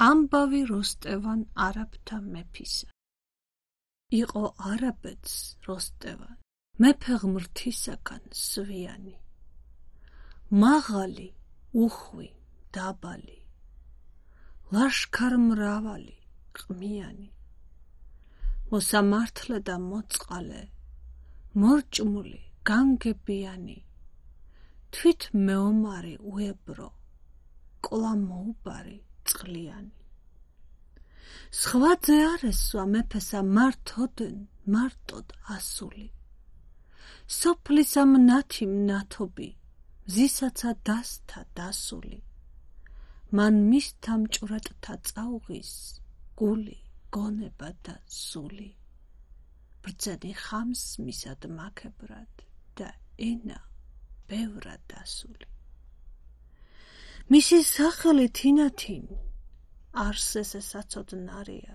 ამბავი როსტევან არაბთა მეფისა. იყო არაბეთს როსტევან, მეფე ღმრთისაგან სვიანი, მაღალი, უხვი, დაბალი, ლაშქარ მრავალი, ყმიანი, მოსამართლე და მოწყალე, მორჭმული, განგებიანი, თვით მეომარი უებრო, კლა მოუბარი წყლიანი. სხვაძე არ ესვა მეფესა მართოდენ მარტოდ ასული, სოფლისა მნათი მნათობი, მზისაცა დასთა დასული, მან მისთა მჭვრეტთა წაუღის გული, გონება და სული, ბრძენი ხამს მისად მაქებრად და ენა ბევრად დასული. მისი სახელი თინათინ არსესე საცოდნარია,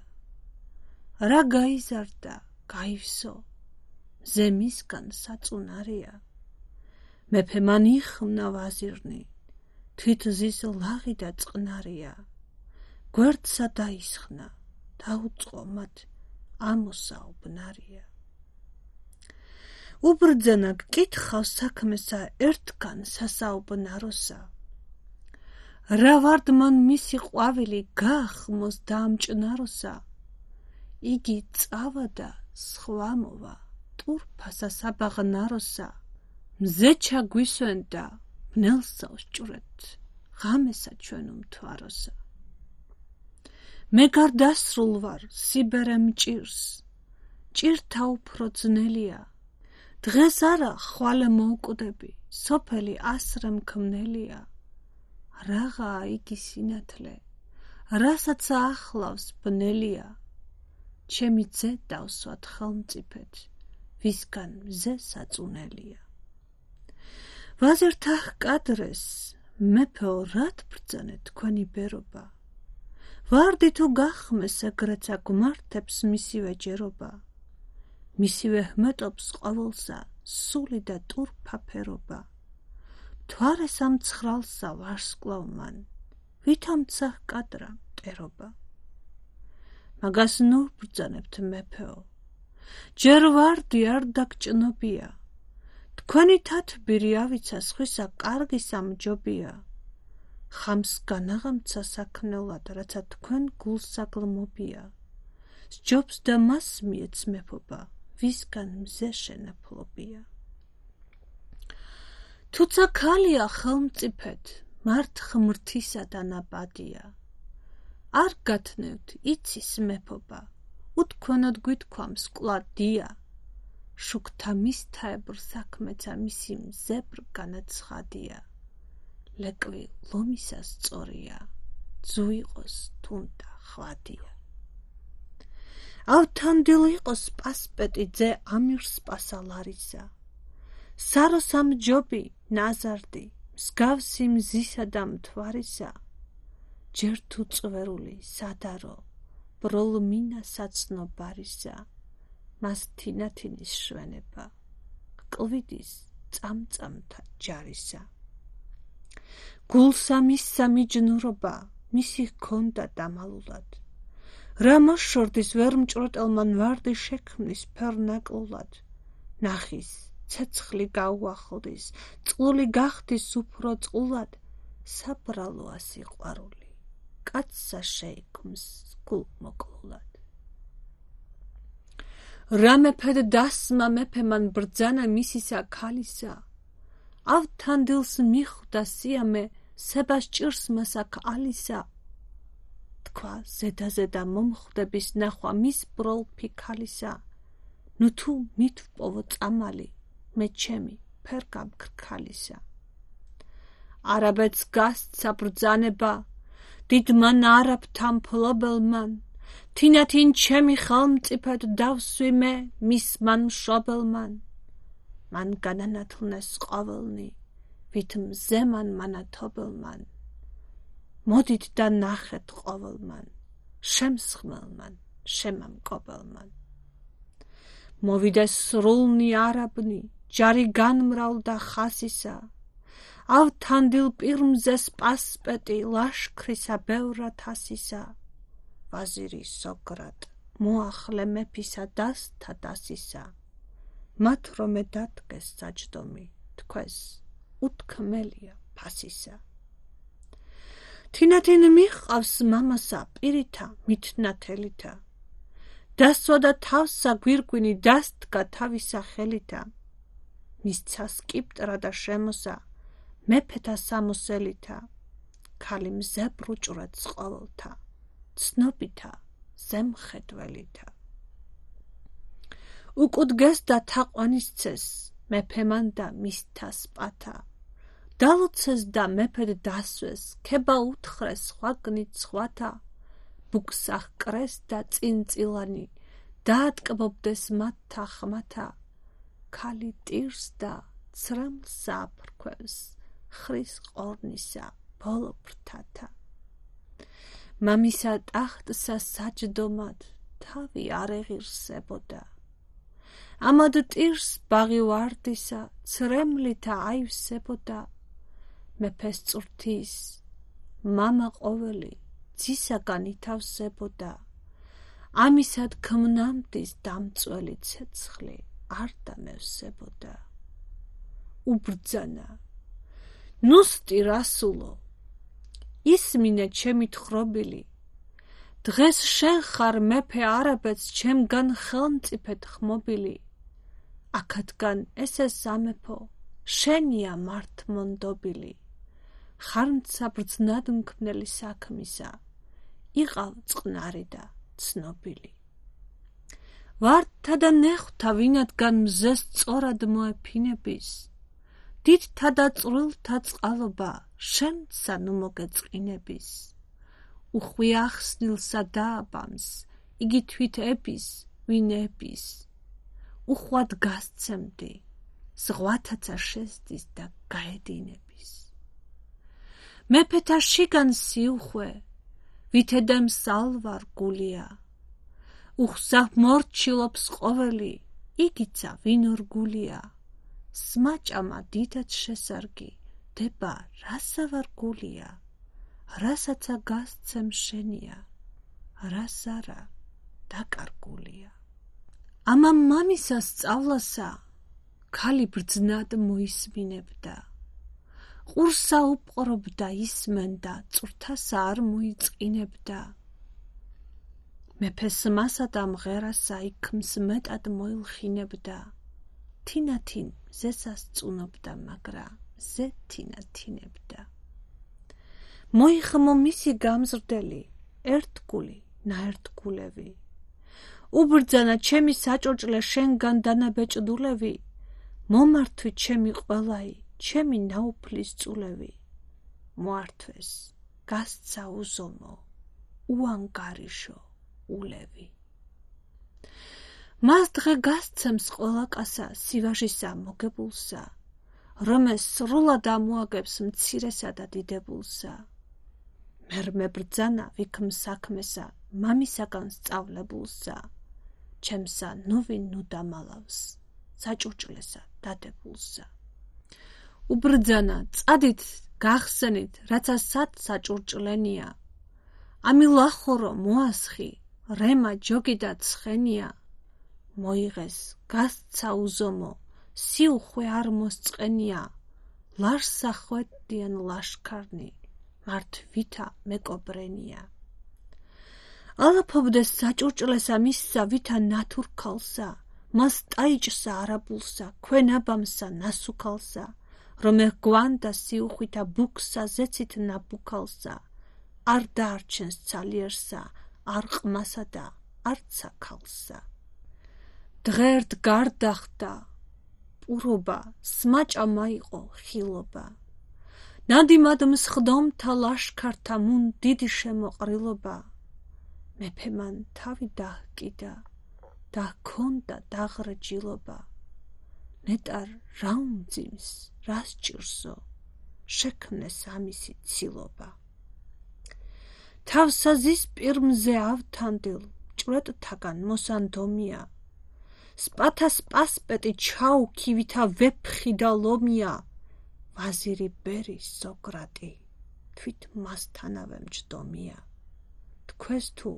რა გაიზარდა გაივსო, ზემისგან საწუნარია, მეფე მან იხმნა ვაზირნი, თვით ზის ლაღი და წყნარია, გვერდსა დაისხნა, დაუწყო მათ ამოსაუბნარია. უბრძანა გკითხავს საქმესა ერთგან სასაუბნაროსა, რა ვარდ მან მისი ყვავილი გაახმოს დაამჭნაროსა, იგი წავადა სხვა მოვა ტურფასა საბაღნაროსა, მზე ჩაგვისვენდა ბნელსა უსჭვრეთ, ღამესა ჩვენ უმთვაროსა. მე გარდასრულ ვარ სიბერე მჭირს, ჭირთა უფრო ძნელია, დღეს არა ხვალე მოვკვდები, სოფელი ასრე მქმნელია, რაღაა იგი სინათლე, რასაც ახლავს ბნელია, ჩემი ძე დავსვათ ხელმწიფედ, ვისგან მზე საწუნელია. ვაზირთა ჰკადრეს, მეფეო რად ბრძანეთ თქვენი ბერობა, ვარდი თუ გახმეს ეგრეცა გვმართებს მისივე ჯერობა, მისივე ჰმეტობს ყოველსა სული და ტურფა ფერობა, მთვარეს ამ ცხრალსა ვარსკვლავ მან, ვითამცა ჰკადრა მტერობა. მაგას ნუ ბრძანებთ მეფეო, ჯერ ვარდი არ დაგჭნობია, თქვენი თათბირი ავიცა სხვისა კარგი სამჯობია, ხამს განაღამცა საქმნელად, რაცა თქვენ გულსაგლმობია, სჯობს და მას მიეც მეფობა, ვისგან მზე შენაფლობია. თუცა ქალია ხელმწიფედ, მართ ღმრთისა დანაბადია, არ გათნევთ იცის მეფობა, უთქვანად გვითქვამს კვლავ დია, შუქთა მისთაებრ საქმეცა მისი მზებრ განაცხადია, ლეკვი ლომისა სწორია, ძუ იყოს თუნდა ხვადია. ავთანდილ იყოს პასპეტი ძე ამირს პასალარისა, სარო სამჯობი ნაზარდი, მსგავსი მზისა და მთვარისა, ჯერ თუ წვერული სადარო, ბროლმინა საცნობარისა, მას თინათინის შვენება, კლვიდის წამწამთა ჯარისა. გულსა მისსა მიჯნურობა, მისი ჰქონდა დამალულად, რა მოშორდის ვერ მჭვრეტელმან ვარდი შექმნის ფერნაკლულად, ნახის ცეცხლი გაუახლდის, წყლული გახდის უფრო წყლულად, საბრალოა სიყვარული, კაცსა შეიქმს გულმოკლულად. რა მეფედ დასმა მეფე მან ბრძანა მისისა ქალისა, ავთანდილს მიხვდა სიამე სებას ჭირს მასაკ ალისა, თქვა ზედა მომხვდების ნახვა მის ბროლფი ქალისა, ნუ თუ მითვპოვო წამალი, მე ჩემი ფერ გამქრქალისა. არაბეთს გასცა ბრძანება, დიდმან არაბთა მფლობელმან, თინათინ ჩემი ხელმწიფედ დავსვი მე მის მან მშობელმან, მან განანათლნეს ყოველნი, ვით მზემან მანათობელმან, მოდით და ნახეთ ყოველმან, შემსხმელმან, შემამკობელმან. მოვიდეს სრულნი არაბნი, ჯარი განმრავლდა ხასისა, ავთანდილ პირმზე სპასპეტი ლაშქრისა ბევრად ასისა ვაზირი სოგრატ მოახლე მეფისა დასთა დასისა მათ რომე დადგეს საჯდომი თქვეს უთქმელია ფასისა თინათინ მიჰყავს მამასა პირითა მითნათელითა დასვა და თავსა გვირგვინი დასდგა თავისა ხელითა მისცა სკიპტრა და შემოსა მეფეთა სამოსელითა ქალი მზებრუჭრად ყოველთა ცნობითა ზემხედველითა უკუდგეს და თაყვანისცეს მეფემან და მისთა სპათა დალოცეს და მეფედ დასვეს ქება უთხრეს ხვაგნით სხვათა ბუქსა ჰკრეს და წინწილანი დაატკბობდეს მათთა ხმათა ქალი ტირს და ცრემლსა აფრქვევს ხრის ყორნისა ბოლო ფრთათა მამისა ტახტსა საჯდომად თავი არ ეღირსებოდა ამად ტირს ბაღი ვარდისა ცრემლითა აივსებოდა მეფეს წურთის მამა ყოველი ძისაგან ითავსებოდა ამისად ქმნამდის დამწველი ცეცხლი არ დამევსებოდა უბრძანა ნუსტი რასულო ისმინე ჩემი თხრობილი დღეს შენ ხარ მეფე არაბეთს ჩემგან ხელმწიფედ ხმობილი აქადგან ესე სამეფო შენია მართმონდობილი ხარმცა ბრძნად მქმნელი საქმისა იყავ წყნარი და ცნობილი ვარდთა და ნეხვთა ვინადგან მზეს სწორად მოეფინების დიდთა და წვრილთა წყალობა შენსა ნუ მოგეწყინების უხვი ახსნილსა დააბამს იგი თვით ების ვინ ების უხვად გასცემდი ზღვათაცა შესდის და გაედინების მეფეთა შიგან სიუხვე ვითედემ სალვარ გულია უხსა მორჩილობს ყოველი იგიცა ვინ ორგულია სმაჭამა დიდად შესარგი დება რასა ვარ გულია რასაცა გასცემ შენია რას არა დაკარგულია ამა მამისა სწავლასა ქალი ბრძნად მოისმინებდა ყურსა უპყრობდა ისმენდა წვრთასა არ მოიწყინებდა მეფეს მასა და მღერასა იქმს მეტად მოილხინებდა თინათინ ზესას წუნობდა მაგრა ზე თინათინებდა მოიხმო მისი გამზრდელი ერთგული ნაერთგულევი უბრძანა ჩემი საჭურჭლე შენგან დანაბეჭდულევი მომართვი ჩემი ყველაი ჩემი ნაუფლის წულევი მოართვეს გასცა უზომო უანგარიშო ულევი მას დღე გასცემს ყველა კასა სივაჟისა მოგებულსა რომელს სრულად ამოაგებს მცირესა და დიდებულსა მერმე ბრძანა ვიქმ საქმესა მამისაგან სწავლებულსა ჩემსა ნუვინ ნუ დამალავს საჭურჭლესა დადებულსა უბრძანა წადით გახსენით რაცა სად საჭურჭლენია ამი ლახორო მოასხი რემა ჯოგი და ცხენია მოიღეს გასცა უზომო სიუხვე არ მოსწყენია ლარსა ხვედიან ლაშქარნი მართვითა მეკობრენია ალაფობდეს საჭურჭლესა მისსა ვითა ნათურქალსა მას ტაიჭსა არაბულსა ქვენაბამსა ნასუქალსა რომე გვანდა სიუხვითა ბუქსა ზეცით ნაბუქალსა არ დაარჩენს ცალიერსა არ ყმასა და არცა ქალსა დღერდ გარდახდა პურობა სმაჭამა იყო ხილობა ნადიმად მსხდომთა ლაშქართა მუნ დიდი შემოყრილობა მეფემან თავი დაჰკიდა და ჰქონდა დაღრჯილობა ნეტარ რა უმძიმს რას ჭირსო შექმნეს ამისი ცილობა თავსაზის პირმზე ავთანდილ ჭვრეტთაგან მოსანდომია სპათას პასპეტი ჩაუქი ვითა ვეფხი და ლომია ვაზირი ბერი სოკრატი თვით მასთანავე მჯდომია. თქვენს თუ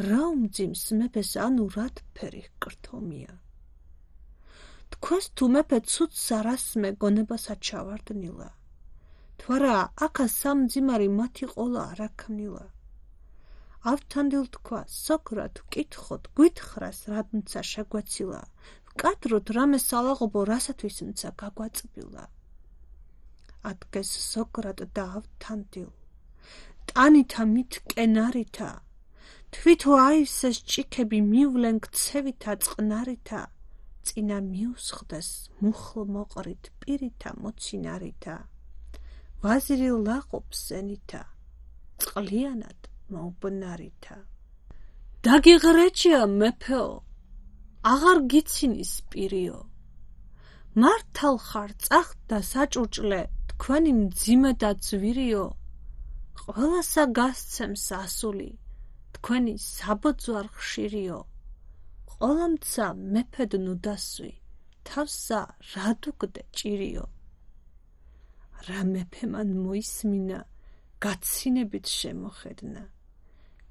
რა უმძიმს მეფეს ანუ რათფერი კრთომია. თქვენს თუ მეფე ცუდს არას მეგონებასა ჩავარდნილა. თვარა აქა სამძიმარი მათი ყოლა არაქმნილა. ავთანდილ თქვა სოკრატ ვკითხოთ გვითხრას რადმცა შეგვეცილა. ვკადროთ რამე სალაღობო რასათვის მცა გაგვაწბილა. ადგეს სოკრატ და ავთანდილ ტანითა მით კენარითა თვითო აივსეს ჭიქები მივლენ ქცევითა წყნარითა წინა მიუსხდეს მუხლ მოყრით პირითა მოცინარითა ვაზირი ლაყობს სენითა წყლიანად მოუბნარითა. დაგიღრეჭია მეფეო აღარ გიცინის პირიო. მართალ ხარ წახდ და საჭურჭლე თქვენი მძიმე და ძვირიო. ყველასა გასცემს ასული თქვენი საბოძვარ ხშირიო. ყოლამცა მეფედ ნუდასვი თავსა რადუგდე ჭირიო. რა მეფემან მოისმინა გაცინებით შემოხედნა.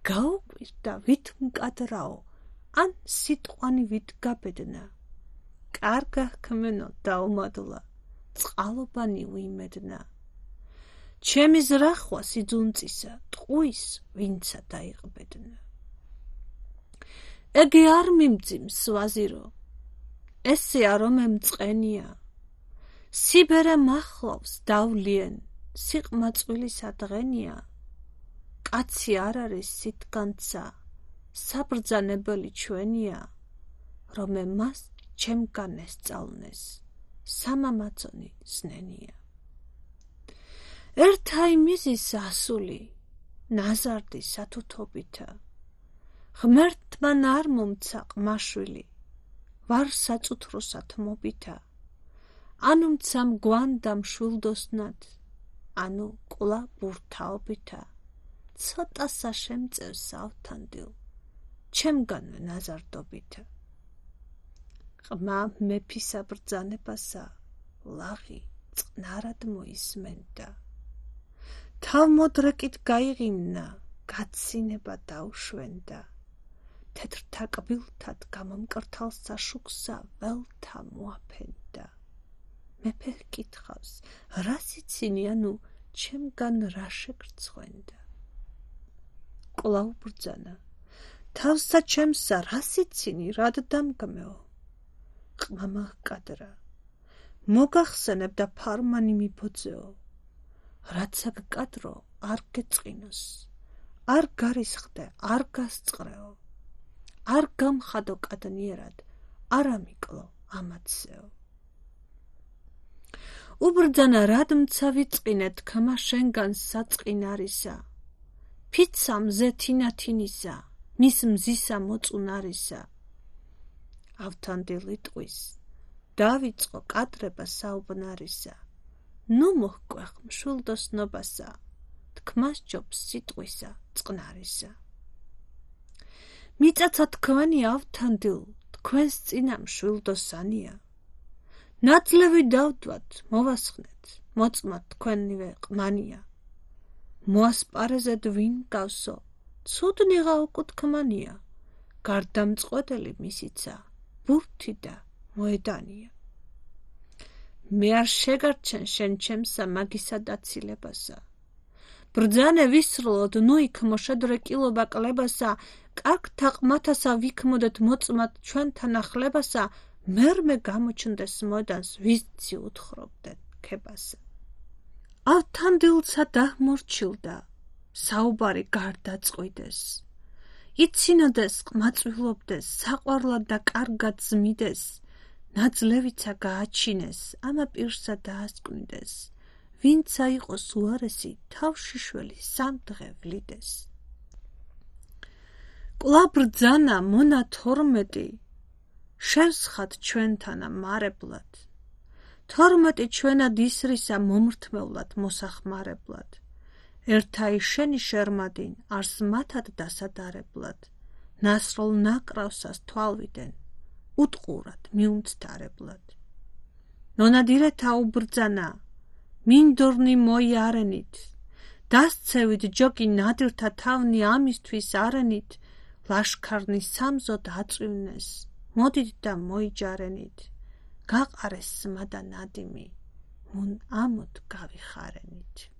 გაუკვირდა ვით მკადრაო ან სიტყვანი ვით გაბედნა. კარგა ჰქმენო დაუმადლა წყალობანი ვიმედნა. ჩემი ზრახვა სიძუნწისა ტყუის ვინცა დაიყბედნა. ეგი არ მიმძიმს ვაზირო ესე არომე მწყენია. სიბერე მახლავს დავლიან სიყმაწვილისა დღენია. კაცი არ არის სიტგანცა საბრძანებელი ჩვენია. რომე მას ჩემგან ესწავლნეს სამამაცონი ზნენია. ერთა იმიზის ასული ნაზარდი სათუთობითა. ღმერთმან არ მომცა ყმაშვილი ვარ საწუთროსად მობითა. ანუ მცა მგვანდა მშვილდოსნად ანუ ყლა ბურთაობითა. ცოტასა შემწევს ავთანდილ ჩემგანვე ნაზარდობითა. ყმა მეფისა ბრძანებასა ლაღი წყნარად მოისმენდა. თავმოდრეკით გაიღიმნა გაცინება დაუშვენდა. თეთრთა კბილთად გამომკრთალსა შუქსა ველთა მოაფენდა. მეფე ჰკითხავს რა სიცინი ანუ ჩემგან რა შეგრცხვენდა. კვლავ ბრძანა თავსა ჩემსა რა სიცინი რად დამგმეო. ყმამა ჰკადრა მოგახსენებ და ფარმანი მიბოძეო. რაცა გკადრო არ გეწყინოს არ გარისხდე არ გასწყრეო. არ გამხადო კადნიერად არ ამიკლო ამაცეო. უბრძანა რად მცა ვიწყინე თქმა შენგან საწყინარისა. ფიცა მზე თინათინისა მის მზისა მოწუნარისა. ავთანდილი ტყვის დავიწყო კადრება საუბნარისა. ნუ მოჰკვეხ მშვილდოსნობასა თქმას ჯობს სიტყვისა წყნარისა. მიწაცა თქვენი ავთანდილ თქვენს წინა მშვილდოსანია. ნაძლევი დავდვათ მოვასხნეთ მოწმათ თქვენივე ყმანია. მოასპარეზეთ ვინ გავსო ცუდნიღა უკუთქმანია. გარდამწყვეტელი მისიცა ბურთი და მოედანია. მე არ შეგარჩენ შენ ჩემსა მაგისა დაცილებასა. ბრძანე ვისრლოდ ნუ იქ მოშედრეკილობა კლებასა. კარგთა ყმათასა ვიქმოდეთ მოწმათ ჩვენთან ახლებასა. მერმე გამოჩნდეს მოდანს ვიზცი უთხრობდეთ ქებასა. ავთანდილცა დაჰმორჩილდა საუბარი გარდაწყვიდეს. იცინოდეს ყმაწვილობდეს საყვარლად და კარგად ზმიდეს. ნაძლევიცა გააჩინეს ამა პირსა დაასკვნიდეს. ვინცა იყოს უარესი თავშიშველი სამდღე ვლიდეს. კვლავ ბრძანა მონა 12 შევსხათ ჩვენთანა მარებლად. 12 ჩვენად ისრისა მომრთმევლად მოსახმარებლად. ერთა შენი შერმადინ არს მათად დასადარებლად. ნასროლ ნაკრავსას თვალვიდან უტყურად მიუნცდარებლად. ნონადირეთა უბრძანა მინდორნი მოიარენით, დასცევით ჯოკი ნადირთა თავნი ამისთვის არენით, ლაშქარნი სამზოდ აწვივნეს, მოდით და მოიჯარენით, გაყარეს სმა და ნადიმი, მუნ ამოდ გავიხარენით.